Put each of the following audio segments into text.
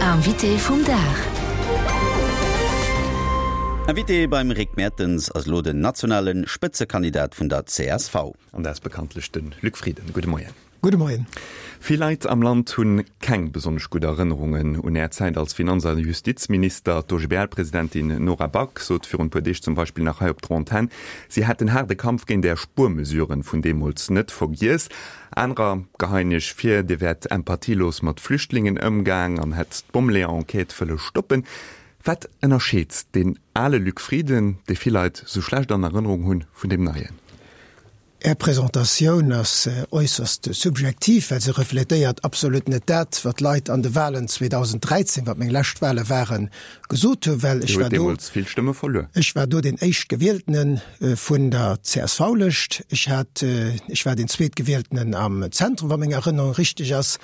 Invité vum Dag. Invité beim Rick Mertens ass elo den nationale Spëtzekandidat vun der csv. An dat ass bekanntlech de Luc Frieden. Gudde Moien. Gudde Moien. Vill Leit am Land hunn keng besonnesch gutt Erënnerungen un Är Zäit als Finanz a Justizminister. D'OGBL-Presidentin Nora Back sot virun e puer Deeg zum Beispill nach hei op der Antenn, si hätt den haarde Kampf géint Är Spuermesuren vun deemools net vergiess. Anerer geheien Iech vir, Dir wäert empathielos mat Flüchtlingen ëmgaang an hätt d'Bommeleeër-Enquête wëlle stoppen. Wat ënnerscheet deen ale Luc Frieden, dee vill Leit sou schlecht an Erënnerung hunn, vun deem neien? Är Presentatioun ass äusserst subjektiv, well se refletéiert absolut net dat, wat d'Leit an de Wahlen 2013, wat meng lescht Wahle waren, gesot hunn, well ech war do, ech war do deen Éischtgewieltene vun der CSV-Lëscht. Ech hat, ech war deen Zweetgewieltenen am Zentrum, wa meng Erënnerung richteg ass.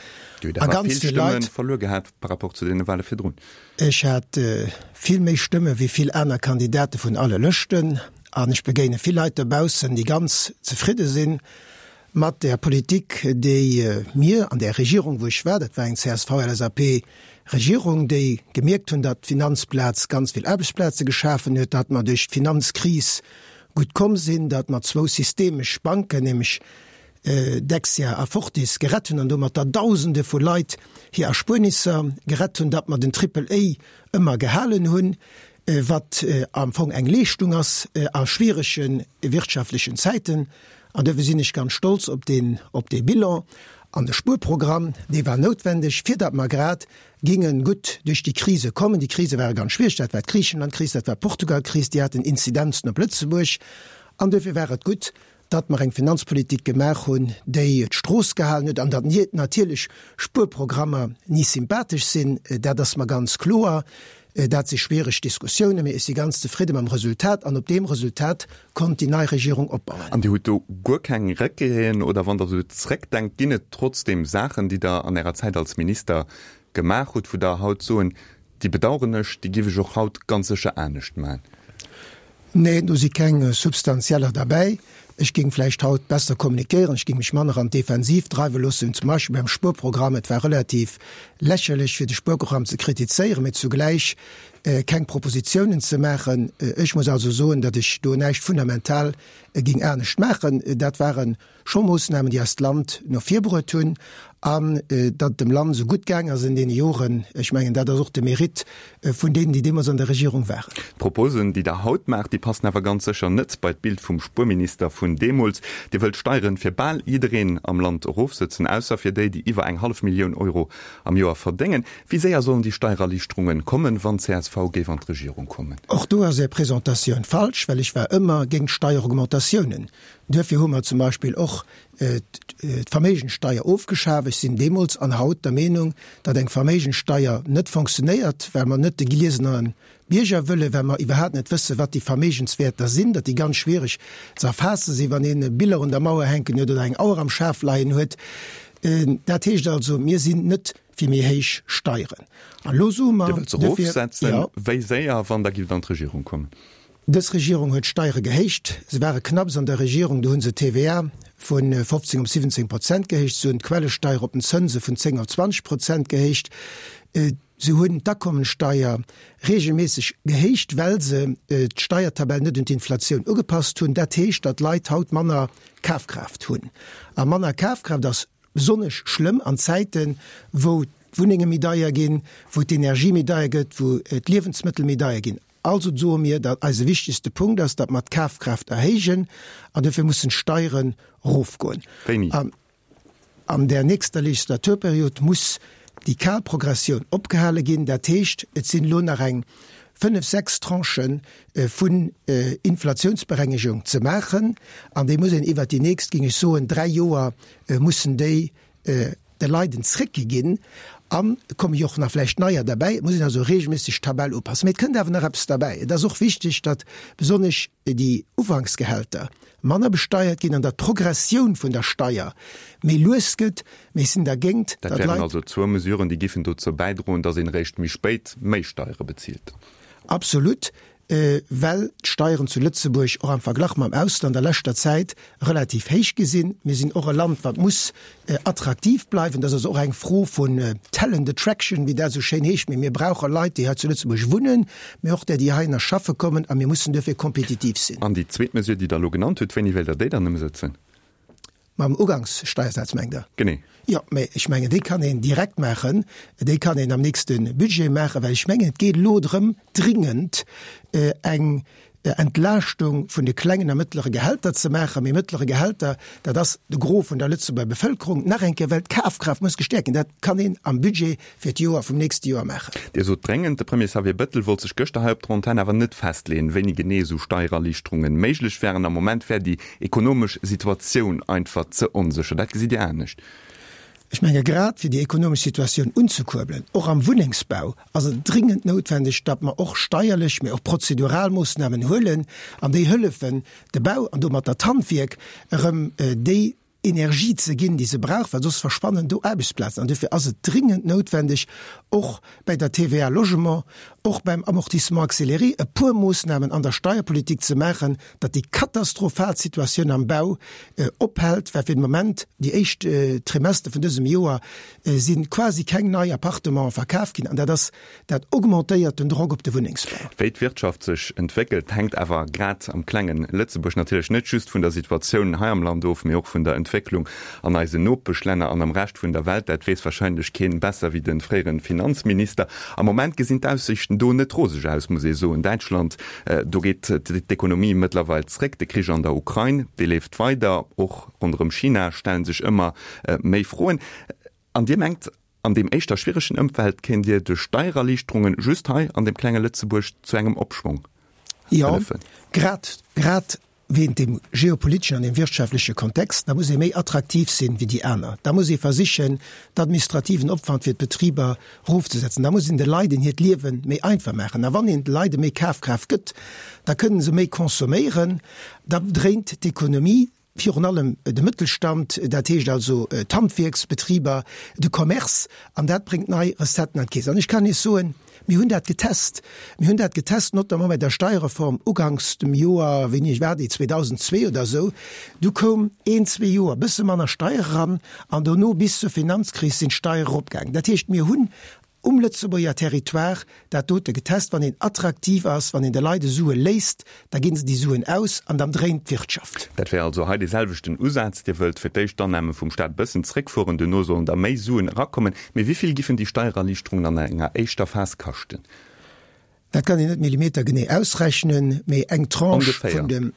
A ganz vill Leit. Verluer gehat par rapport zu deene Wahle virdrun. Ech hat vill méi Stëmme wéi vill aner Kandidate vun alle Lëschten. An ech begéine vill Leit dobaussen, déi ganz zefridde si mat där Politik, déi mir an där Regierung, wou ech war, dat war eng CSV-LSAP-Regierung, déi gemierkt hunn, datt d'Finanzplaz ganz vill Aarbechtsplaze geschafen huet, datt mer duerch d'Finanzkris gutt komm sinn, datt mer zwou systemesch Banken, nämlech Dexia a Fortis, gerett hunn an domat der Dausende vu Leit hir Erspuernisser gerett hunn, datt mer den Triple A ëmmer gehalen hunn. wat am Fong eng Leeschtung ass a schwierege wirtschaftlechen Zäiten. An duerfir sinn ech ganz stolz op deen, op dee Bilan. An de Spuerprogramm, dee war noutwendeg, fir datt mer grad géinge gutt duerch déi Krise kommen. Déi Krise ware ganz schwiereg, dat war d'Griichenlandkris, dat war d'Portugalkris, déi haten Inzidenzen op Lëtzebuerg. An duerfir war et gutt, datt mer eng Finanzpolitik gemaach hunn, déi d'Strooss gehalen huet, an datt natierlech Spuerprogrammer ni sympathesch sinn, dat ass mer ganz kloer. Dat si schwiereg Diskussiounen, mee ech si ganz zefridde mam Resultat, an op deem Resultat konnt déi nei Regierung opbauen. An Dir hutt do guer keng Regreten, oder wann Der esou zréckdenkt, ginn et trotzdeem Saachen, déi Der an Ärer Zäit als Minister gemaach hutt, wou Der haut soen, Déi bedaueren ech, déi giff ech och haut ganz sécher anescht man. Nee, do si keng substanzieller derbäi. Ech géing vläicht haut besser kommunikéieren, ech géing mech manner an d'Defensiv dreiwe loossen, zum Beispill beim Spuerprogramm. Et war relativ lächerlech, fir de Spuerprogramm ze kritizéieren, mee zugläich keng Propositionen ze maachen. Ech muss also soen, datt ech do näischt fundamental géing anescht maachen. Dat ware Scho Moossnamen, déi eist Land no vir bruet hunn an datt et dem Land esou gutt gaang ass en deene Joren, ech mengen, dat ass och de Mérite vun deenen, déi deemools an der Regierung waren. D'Proposen, déi Der haut maacht, déi passen awer ganz sécher net bei d'Bild vum Spuerminister vun deemools. Dir wëllt d'Steieren fir bal jiddereen am Land erofsëtzen, ausser fir déi, déi iwwer eng hallef Millioun Euro am Joer verdéngen. Wéi séier sollen déi Steiererliichterungen kommen, wann csv géif an d'Regierung kommen? Och do ass Är Presentatioun falsch, well ech war ëmmer géint Steieraugmentatiounen. Duerfir hu mer zum Beispill och d'Verméigenssteier ofgeschaf. Ech sinn deemools an haut der Meenung, datt eng Verméigenssteier net fonctionnéiert, well mer net de gliesene Bierger wëllen, well mer iwwerhaapt net wëssen, wat déi Verméigenswäerter sinn, datt déi ganz schwiereg ze erfaasse sinn, wann een Biller un der Mauer hänken huet oder eng Auer am Schaf leien huet. Dat heescht also, mir sinn net fir méi héich Steieren. An elo soe mer. Dir wëllt se erofsetzen. Wéi séier, wann Der gift an d'Regierung kommen? Dës Regierung huet d'Steiere gehéicht. Se ware knapps an der Regierung, do hu se d'TVA vu 15 op 17 Prozent gehéicht, se hunn d'Quellesteier op den Zënse vun 10 op 20 Prozent gehéicht, se hunn d'Akommensteier reegelméisseg gehéicht, well se d'Steiertabell net un d'Inflatioun ugepasst hunn. Dat heescht, datt d'Leit haut manner Kafkraaft hunn. A manner Kafkraaft ass besonnesch schlëmm an Zäiten, wou d'Wunnenge méi deier ginn, wou d'Energie méi deier gëtt, wou d'Liewensmëttel méi deier ginn. Also soe mir, datt eise wichtegste Punkt ass, datt mer d'Kafkraaft erhéijen an dofir mussen d'Steieren erofgoen. Wéini? An an där nächster Legislaturperiod muss déi kal Progressioun opgehale ginn. Dat heescht, et sinn elo nach eng fënnef, sechs Tranchë vun Inflatiounsberengegung ze maachen an déi muss een iwwert déi nächst, géing ech soen, dräi Joer mussen déi de Leit en zréckgi ginn an et komme jo och nach vläicht neier derbäi. Et muss een also regelméisseg d'Tabell upassen. Mee et kënnt awer nach eppes derbäi. Et ass och wichteg, datt besonnesch déi Ufanksgehälter manner besteiert ginn an datt d'Progressioun vun der Steier méi lues gëtt. Mee ech sinn dergéint, Dat datt wären Leit. also zwou Mesuren, déi giffen dozou bäidroen, datt een eréischt méi spéit méi Steiere bezilt. Absolut. Well d'Steieren zu Lëtzebuerg och am Verglach mam Ausland a leschter Zäit relativ héich gi sinn. Mir sinn och e Land, wat muss attraktiv bleiwen. Dat ass also och eng Fro vun Talent attraction, wéi dat esou schéin heescht. Mee mir brauche Leit, déi hei zu Lëtzebuerg wunnen, mee och där, déi heihinner schaffe kommen. A mir mussen duerfir kompetitiv sinn. An déi zweet Mesure, déi Der elo genannt hutt, wéini wéilt Der déi dann ëmsëtzen? Mam Ugangssteiersaz, mengt Der? Genee. Jo, mä ech mengen, déi kann een direkt maachen. Déi kann een am nächste Budget maachen, well ech mengen, et geet elo drëm, dringend eng Entlaaschtung vun de klengen a mëttlere Gehälter ze maachen. Mee mëttlere Gehälter, dat ass de Gros vun der Lëtzebuerger Bevëlkerung. Nach eng Kéier, well d'Kafkraaft muss gestäerkt ginn. Dat kann een am Budget fir d'Joer vum nächste Joer maachen. Dir sot dréngend. De Premier Xavier Bettel wollt sech gëschter hei op der Antenn awer net festleeën, wéini genee esou Steiererliichterunge méiglech wären. Am Moment wär déi ekonomesch Situatioun einfach ze onsécher. Dat gesitt Dir anescht? Ech menge grad fir déi ekonomesch Situatioun unzekuerbelen, och am Wunnengsbau, ass et dringend noutwendeg, datt mer och steierlech, mee och prozedural Moossnamen huelen an déi hëllefen, de Bau an domat d'Handwierk erëm déi Energie ze ginn, déi se brauch, well soss verschwannen do Aarbechtsplazen. An duerfir ass et dringend noutwendeg, och bäi der TVA Logement, och beim Amortissement accéléré e puer Moossnamen an der Steierpolitik ze maachen, datt déi katastrophal Situatioun am Bau ophält, well fir de Moment, déi éischt Trimester vun dësem Joer, si quasi keng nei Appartementen verkaf ginn. An dat ass Dat augmentéiert den Drock op de Wunnengsbau. Wéi d'Wirtschaft sech entwéckelt, hänkt awer grad am klenge Lëtzebuerg natierlech net just vun der Situatioun hei am Land of, mee och vun der Entwécklung an eisen Nopeschlänner an am Rescht vun der Welt. Dat weess warscheinlech keen besser wéi de fréiere Finanzminister. Am Moment gesinn d'Aussiichten do net roseg aus, muss ee soen. Däitschland, do geet d'Ekonomie mëttlerweil zréck. De Krich an der Ukrain, dee leeft weider. Och ronderëm China stelle sech ëmmer méi Froen. An Dir mengt, An deem éischter schwieregen Ëmfeld kéint Dir duerch Steiererliichterungen just hei an deem klenge Lëtzebuerg zu engem Opschwong hëllefen? Jo, grad, grad wéint dem geopoliteschen an dem wirtschaftleche Kontext. Da muss ee méi attraktiv sinn wéi déi aner. Da muss ee versichen, d'administrativen Opwand fir d'Betriber erofzesetzen. Da muss een de Leiden hiert Liewe méi einfach maachen. A wann een de Leide méi Kafkraaft gëtt, da kënnen se méi consomméieren, da dréint d'Ekonomie. Virun allem de Mëttelstand, dat heescht also d'Handwierksbetriber, de Commerce, an dat bréngt nei Recetten an d'Keess. An ech kann Iech soen, mir hunn dat getest. Mir hunn dat getest, notamment bei der Steierreform uganks dem Joer, wéini war déi, 2002 oder esou. Du koum een, zwee Joer e bësse manner Steier eran an dono bis zur Finanzkris sinn d'Steiere eropgaangen. Dat heescht, mir hunn um Lëtzebuerger Territoire dat dote getest, wann een attraktiv ass, wann een de Leit e Sue léisst, da ginn se déi Suen aus an dann dréint d'Wirtschaft. Dat wär also hei dee selwechten Usaz. Dir wëllt fir d'éischt d'Annahme vum Staat e bëssen zréckfueren, duerno sollen da méi Suen erakommen. Mee wéi vill giffen déi Steiererliichterungen an enger éischter Phas kaschten? Dat kann een net millimetergenee ausrechnen, mee eng Tranche vun dem.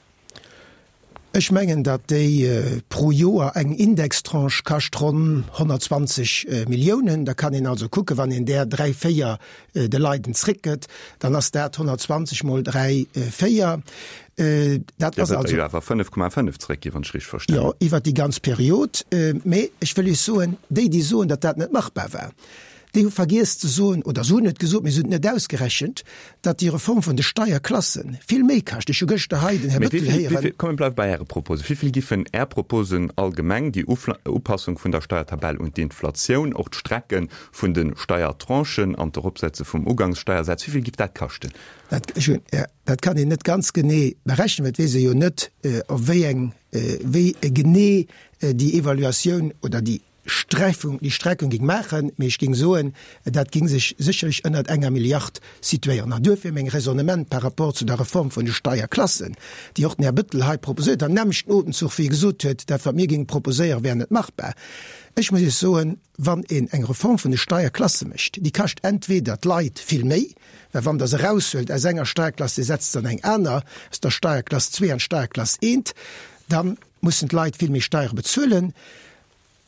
Ech mengen, datt déi pro Joer eng Indextranche kascht ronn 120 Milliounen. Da kann een also kucken, wann een där dräi, véier de Leiden zréckgëtt, dann ass dat 120 mol dräi, véier. Dat ass also. Dir wëllt der jo awer 5,5 zréckginn, wann ech richteg verstanen. Jo, iwwert déi ganz Period. Mee ech wëll Iech soen, déi, déi soen, datt dat net machbar war, Déi hu vergiess ze soen, oder se hunn et gesot, mee se hunn et net ausgerechent, datt déi Reform vun de Steierklasse vill méi kascht. Ech hu gëschter hei den Här Bettel héieren. Komm, mir bleiwe bei Äre Proposen. Wéi vill giffen Är Proposen allgemeng, déi Upassung vun der Steiertabell un d'Inflatioun, och d'Strecke vun de Steiertranchen an d'Eropsetze vum Ugangssteiersaz, wéi vill giff dat kaschten? Dat kann een net ganz genee berechnen, well et weess ee jo net, op wéi eng, wéi genee déi Evaluatioun oder déi Sträifung, déi Streckung géing maachen, mee ech géing soen, dat géing sech sécherlech ënnert enger Milliard situéieren. An duerfir meng Raisonnement par rapport zu der Reform vun de Steierklassen, déi och den Här Bettel hei proposéiert huet, am nämmlechten Otemzuch wéi e gesot huet, dat wat mir géinge proposéieren, wär net machbar. Ech muss Iech soen, wann een eng Reform vun de Steierklasse mécht, déi kascht entweder d'Leit vill méi, well wann Der se eraushuelt aus enger Steierklass, Dir setzt se an eng aner, aus der Steierklass zwee an d'Steierklass eent, da mussen d'Leit vill méi Steiere bezuelen.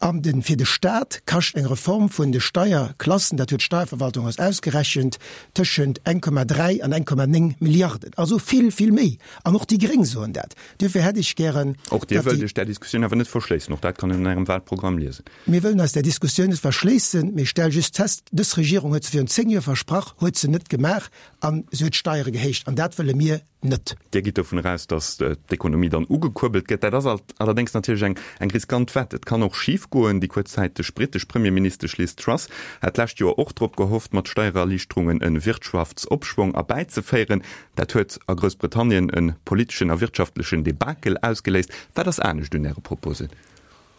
An de fir de Staat kascht eng Reform vun de Steierklassen, dat huet d'Steierverwaltung eis ausgerechent, tëschent 1,3 an 1,9 Milliarden. Also vill, vill méi. An och déi Gréng soen dat. Duerfir hätt ech gären, Och Dir wëllt Iech där Diskussioun awer net verschléissen. Och dat kann een an Ärem Wahlprogramm liesen. Mir wëllen eis där Diskussioun net verschléissen, mee ech stelle just fest, dës Regierung huet se virun 10 Joer versprach, huet se net gemaach an se huet d'Steiere gehéicht. An dat wëlle mir. net. Dir gitt dovun eraus, datt d'Ekonomie dann ugekuerbelt gëtt. Dat ass allerdéngs natierlech eng eng riskant Wett. Et kann och schif goen. Déi kuerzzäiteg brittesch Premierministesch Liz Truss hat d'lescht Joer och drop gehofft, mat Steiererliichterungen e Wirtschaftsopschwong erbäizeféieren. Dat huet a Groussbritannien e politeschen a wirtschaftlechen Debakel ausgeléist. Wat ass anescht un Äre Proposen?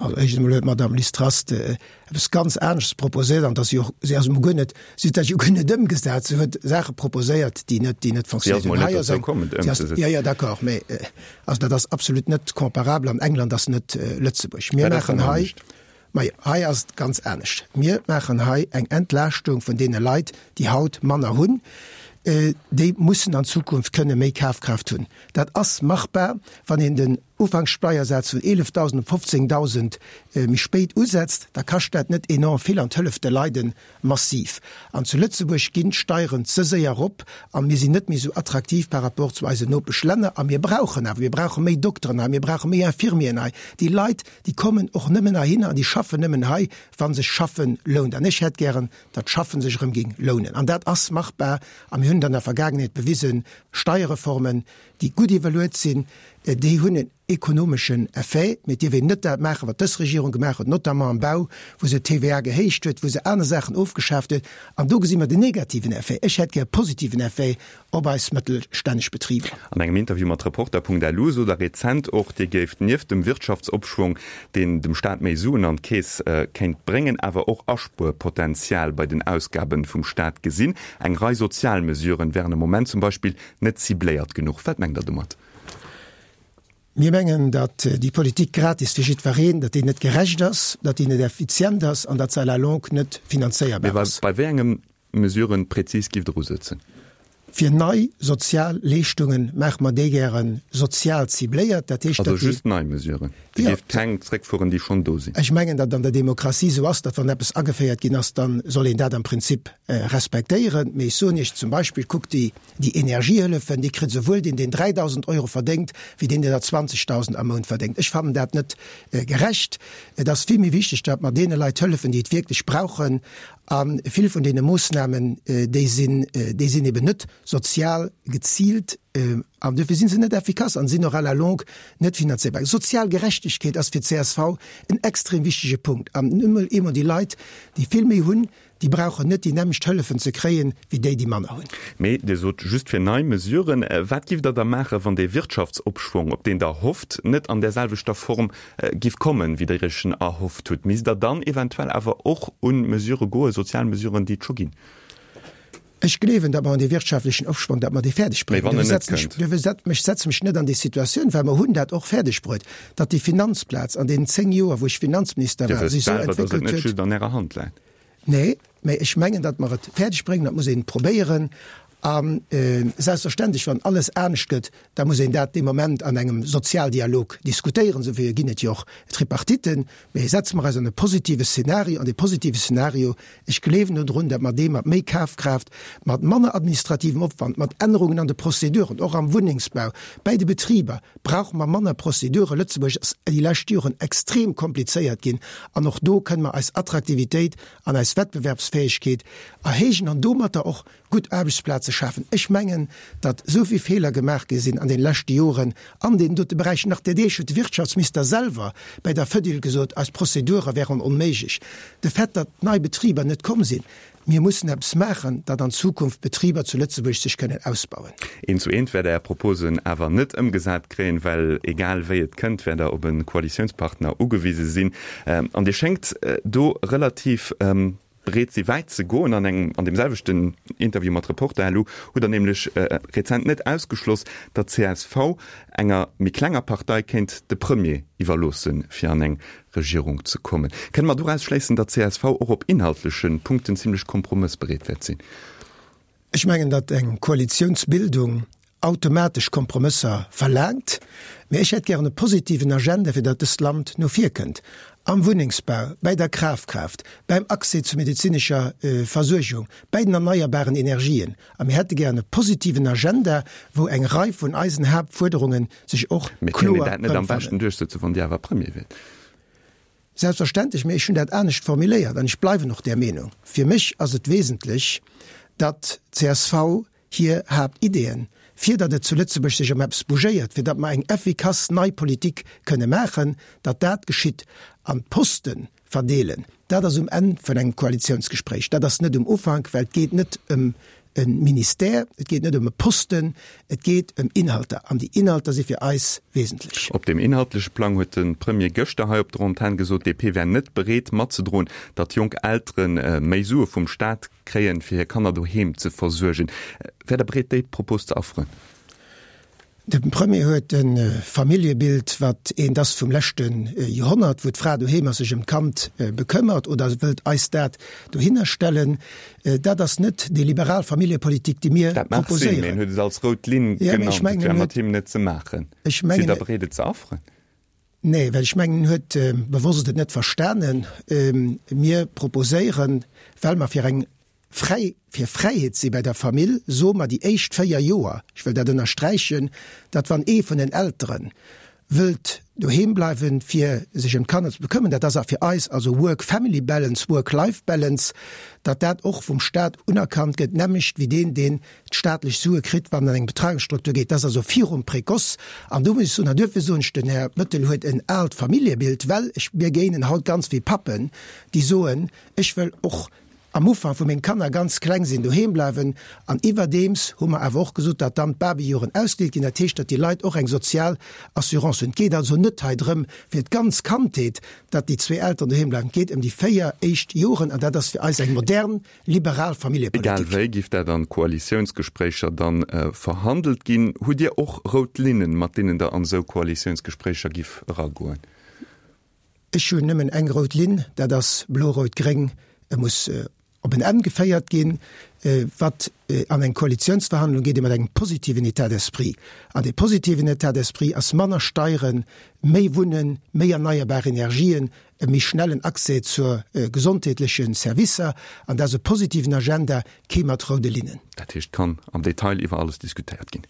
Also éischtens emol huet d'Madame Liz Truss eppes ganz aneschters proposéiert an dass si och, si ass emol guer net, si huet dat jo guer net ëmgesat. Si huet Saache proposéiert, déi net, déi net Si ass fonctionnéiert emol hunn. net Hei ass dozou eng, komm, et si ass, ëmzesetzen. jo, jo, d'accord, mä also dat ass absolut net comparabel an England ass net Lëtzebuerg. Mir Wat ass maachen dann hei, anescht? majo, hei ass et ganz anescht. Mir maachen hei eng Entlaaschtung vun deene Leit, déi haut manner hunn. Déi mussen an Zukunft kënne méi Kafkraaft hunn. Dat ass machbar, wann een den Ufankssteiersaz vun 11.000 op 15.000 méi spéit usetzt, da kascht dat net enorm vill an 't hëlleft de Leide massiv. An zu Lëtzebuerg ginn d'Steieren ze séier erop a mir sinn net méi esou attraktiv par rapport zu eisen Nopeschlänner. A mir brauchen awer, mir brauche méi Dokteren hei, mir brauche méi Infirmieren hei. Déi Leit, déi kommen och nëmmen heihinner an déi schaffen nëmmen hei, wa sech Schaffe lount. An ech hätt gären, datt Schaffen sech erëm géing lounen. An dat ass machbar a mir hunn et an der Vergaangenheet bewisen, Steierreformen, déi gutt iwwerluet sinn, déi hunn en ekonomeschen Effet. Mee et dierf een net dat maachen, wat dës Regierung gemaach huet, notamment am Bau, wou se d'TVA gehéicht huet, wou se aner Saachen ofgeschaaft huet. An do gesi mer den negativen Effet. Ech hätt gär e positiven Effet op eis mëttelstänneg Betriber. An engem Interview mat Reporter.lu sot Der rezent och, Dir géift nieft dem Wirtschaftsopschwong, deen dem Staat méi Suen an d'Keess kéint bréngen, awer och Aspuerpotenzial bei den Ausgabe vum Staat gesinn. Eng Rei sozial Mesuren wären am Moment zum Beispill Net cibléiert genuch. Wat mengt Der domat? Mir mengen, datt déi Politik gratis fir jiddwereen, datt déi net gerecht ass, datt déi net effizient ass an datt se à la longue net finanzéierbar Mee ass. bei wéi enge Mesuren prezis giff Der usëtzen? Fir nei sozial Leeschtungen maache mer déi gäre sozial cibléiert. Dat heescht, Also datt déi. just nei Mesuren? Dir Jo. géift keng zréckfueren, déi schonn do sinn? Ech mengen, datt an der Demokratie esou ass, datt wann eppes ageféiert ginn ass, da soll een dat am Prinzip respektéieren. Mee ech soen Iech zum Beispill, kuckt déi Déi Energiehëllefen, déi kritt esouwuel deen, deen 3.000 Euro verdéngt, wéi deen, deen der 20.000 am Mount verdéngt. Ech fannen dat net gerecht. Et ass vill méi wichteg, datt mer deene Leit hëllefen, déi et wierklech brauchen. A vill vun deene Moossnamen, déi sinn, déi sinn eben net sozial geziilt an duerfir si se net effikass an sinn och à la longue net finanzéierbar. Sozial Gerechtegkeet ass fir d'CSV en extrem wichtege Punkt. An nun emol eemol déi Leit, déi vill méi hunn, Déi brauchen net déi nämmlecht Hëllefen ze kréien, wéi déi, déi manner hunn. Mee Dir sot just fir nei Mesuren. Wat giff Der da maachen, wann dee Wirtschaftsopschwong, op deen Der hofft, net an där selwechter Form giff kommen, wéi Der Iech en erhofft hutt? Misst Der dann eventuell awer och un Mesurë goen, sozial Mesuren, déi et scho ginn? Ech gleewen, datt mer an dee wirtschaftlechen Opschwong, datt mer dee fäerdeg Mee bréngen. wann en Duerfir net setzen ech, kënnt? duerfir set, ech setze mech net an déi Situatioun, well mer hunn dat och fäerdeg bruet, datt déi Finanzplaz an deenen 10 Joer, wou ech Finanzminister Dir war, wësst sech esou selwer, datt et entwéckelt net huet. just an Ärer Hand läit. Nee, mä ech mengen, datt mer et fäerdeg bréngen, dat muss een probéieren. A selbstverständlech, wann alles anescht gëtt, da muss een dat dee Moment an engem Sozialdialog diskutéieren. Esouwéi ginn et jo och Tripartiten. Mä setze mer eis an e positive Szenario, an dee positive Szenario, ech gleewen dodrun, datt mer dee mat méi Kafkraaft, mat manner administrativem Opwand, mat Ännerungen an de Prozeduren, och am Wunnengsbau, bäi de Betriber, brauche mer manner Prozeduren. Lëtzebuerg ass déi lescht Joren extrem komplizéiert ginn an och do kënne mer eis Attraktivitéit an eis Wettbewerbsfäegkeet erhéijen an domatter och gutt Aarbechtsplaze schafen. Ech mengen, datt esou vill Feeler gemaach gi sinn an deene leschte Joren an deenen dote Beräichen. Nach der Deeg huet de Wirtschaftsminister selwer bäi der Fedil gesot, eis Prozedure wären onméiglech. De Fait, datt nei Betriber net komm sinn, Mir mussen eppes maachen, datt an Zukunft d'Betriber zu Lëtzebuerg sech kënnen ausbauen. Eent zu eent wäert Der Är Proposen awer net ëmgesat kréien, well egal wéi et kënnt, wäert Der op e Koalitiounspartner ugewise sinn. An Dir schéngt do relativ bereet si wäit ze goen. An engem, an deem selwechten Interview mat Reporter.lu hutt Der nämlech rezent net ausgeschloss, datt csv enger méi klenger Partei kéint de Premier iwwerloossen, fir an eng Regierung ze kommen. Kënne mer doraus schléissen, datt csv och op inhaltleche Punkten zimlech kompromëssbereet wäert sinn? Ech mengen, datt eng Koalitiounsbildung automatesch Kompromësser verlaangt, mä ech hätt gären e positiven Agenda, fir datt dëst Land no vir kënnt, am Wunnengsbau, bäi der Krafkraaft, beim Accès zu medezinescher Versuergung, bäi den erneierbaren Energien. A mir hätte gären e positiven Agenda, wou eng Rei vun eisen Haaptfuerderunge sech och Mee kéint een kloer dat net am erëmfannen. beschten duerchsëtzen, wann Dir awer Premier wiert? Selbstverständlech, mee ech hunn dat anescht formuléiert an ech bleiwen och där Meenung. Fir mech ass et wesentlech, datt csv. Hir Haaptideeën, fir datt et zu Lëtzebuerg sech ëm eppes bougéiert, fir datt mer eng effikass nei Politik kënne maachen, datt dat geschitt. An d'Poste verdeelen, dat ass um Enn vun engem Koalitiounsgespréich, dat ass net um Ufank, well et geet net ëm e Ministère, et geet net ëm e Posten, et geet ëm Inhalter. An déi Inhalter si fir eis wesentlech. Op deem inhaltleche Plang huet de Premier gëschter hei op der Antenn gesot, d'DP wär net bereet matzedroen, datt jonk Eltere méi Sue vum Staat Kréien, fir hir Kanner doheem ze versuergen. Wäert Der bereet, déi Propos ze afferen? De Premier huet e Familljebild, wat eent ass vum leschte Joerhonnert, wou d'Fra doheem ass, sech ëm d'Kand bekëmmert, oder wëllt eis dat dohinner stellen. Dat ass net déi liberal Familljepolitik, déi mir proposéieren. Dat mag sinn, mee en huet et als rout Linn genannt, et wär mat him net ze maachen. Sidd Der bereet, et ze afferen? Nee, well ech mengen, en huet bewosst et net verstanen. Mir proposéieren, well mer fir eng fräi, fir Fräiheet si bei der Famill, soe mer déi éischt 4 Joer, ech wëll dat ënnersträichen, datt wann ee vun den Eltere wëllt doheem bleiwen, fir sech ëm d'Kanner ze bekëmmern, dat ass a fir eis also Work-Family Balance, Work-Life Balance, datt dat och vum Stat unerkannt gëtt, nämmlecht wéi deen, deen d'staatlech Sue kritt, wann en an eng Betreiungsstruktur geet. Dat ass also virum Précoce. An do muss ech soen, an duerfir soen ech, den Här Bettel huet en aalt Familljebild, well ech, mir géinen haut ganz vill Pappen, déi soen, ech wëll och am Ufank, wou meng Kanner ganz kleng sinn, doheem bleiwen. An iwwerdeems hu mer awer och gesot, datt dann d'Babyjoren ausgedeelt ginn. Dat heescht, datt déi Leit och eng sozial Assurance hunn. Et geet also net hei drëm, fir d'ganz Kandheet, datt déi zwee Elteren doheem bleiwen. Et geet ëm déi 4 éischt Joren, an dat ass fir eis eng modern liberal Familljepolitik. Egal wéi, giff dat an Koalitiounsgespréicher dann verhandelt ginn. Hutt Dir och rout Linnen, mat deenen Der an esou Koalitiounsgespréicher giff eragoen? Ech hunn nëmmen eng rout Linn, dat ass blo-rout-gréng. E muss op en Enn geféiert ginn. Wat an eng Koalitiounsverhandlung geet ee mat engem positiven État d'esprit. An dee positiven État d'esprit ass manner Steieren, méi Wunnen, méi erneierbar Energien, e méi schnellen Accès zur gesondheetleche Servicer, an dat ass e positiven Agenda, kee mat roude Linnen. Dat heescht, kann am Detail iwwer alles diskutéiert ginn?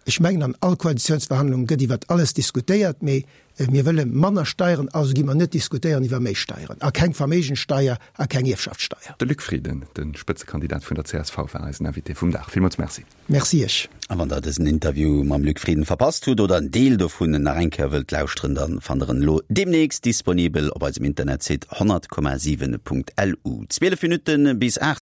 Ech mengen, an all Koalitiounsverhandlung gëtt iwwer alles diskutéiert, mee mir wëlle manner Steieren, also gi mer net diskutéieren iwwer méi Steieren a keng Verméigenssteier a keng Ierfschaftssteier. De Luc Frieden, de Spëtzekandidat vun der csv, war eisen Invité vum Dag. Villmools Merci. Merci Iech. A wann der dësen Interview mam Luc Frieden verpasst hutt oder en Deel dovun nach eng Kéier wëllt lauschteren, dann fannt der en elo demnächst disponibel op eisem Internetsite 100,7.lu. 12 Minutten bis 8.